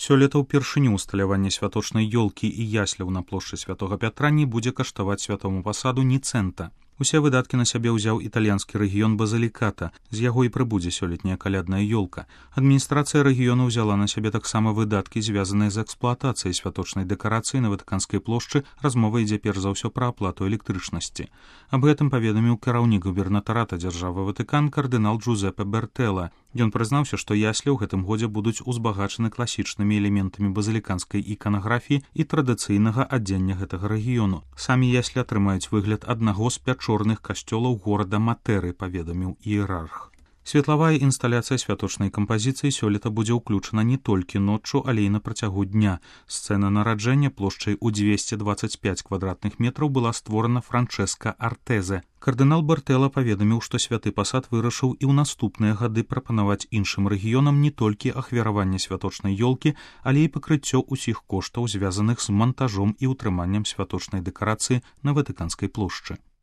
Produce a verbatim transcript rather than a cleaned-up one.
Сёлета ўпершыню усталяванне святочнай ёлкі і ясляў на плошчы святога Пятра не будзе каштаваць святому пасаду ні цэнта. Усе выдаткі на сябе ўзяў італьянскі рэгіён Базаліката, з яго і прыбудзе сёлетняя калядная ёлка. Адміністрацыя рэгіёну ўзяла на сябе таксама выдаткі, звязаныя з эксплуатацыяй святочнай дэкарацыі на Ватыканскай плошчы. Размова ідзе перш за ўсё пра аплату электрычнасці. Аб гэтым паведаміў кіраўнік губернатарата дзяржавы Ватыкан кардынал Джузепе Бертэла. Ён прызнаўся, што яслі ў гэтым годзе будуць узбагачаны класічнымі элементамі базаліканскай іканаграфіі і традыцыйнага адзення гэтага рэгіёну. Самі яслі атрымаюць выгляд аднаго з пячорных касцёлаў горада Матэры, паведаміў іерарх. Светлавая інсталяцыя святочнай кампазіцыі сёлета будзе ўключана не толькі ноччу, але і на працягу дня. Сцэна нараджэння плошчай у дзвесце дваццаць пяць квадратных метраў была створана Франчэска Артэзе. Кардынал Бертэла паведаміў, што святы пасад вырашыў і ў наступныя гады прапанаваць іншым рэгіёнам не толькі ахвяраванне святочнай ёлкі, але і пакрыццё ўсіх коштаў, звязаных з мантажом і ўтрыманнем святочнай дэкарацыі на Ватыканскай плошчы.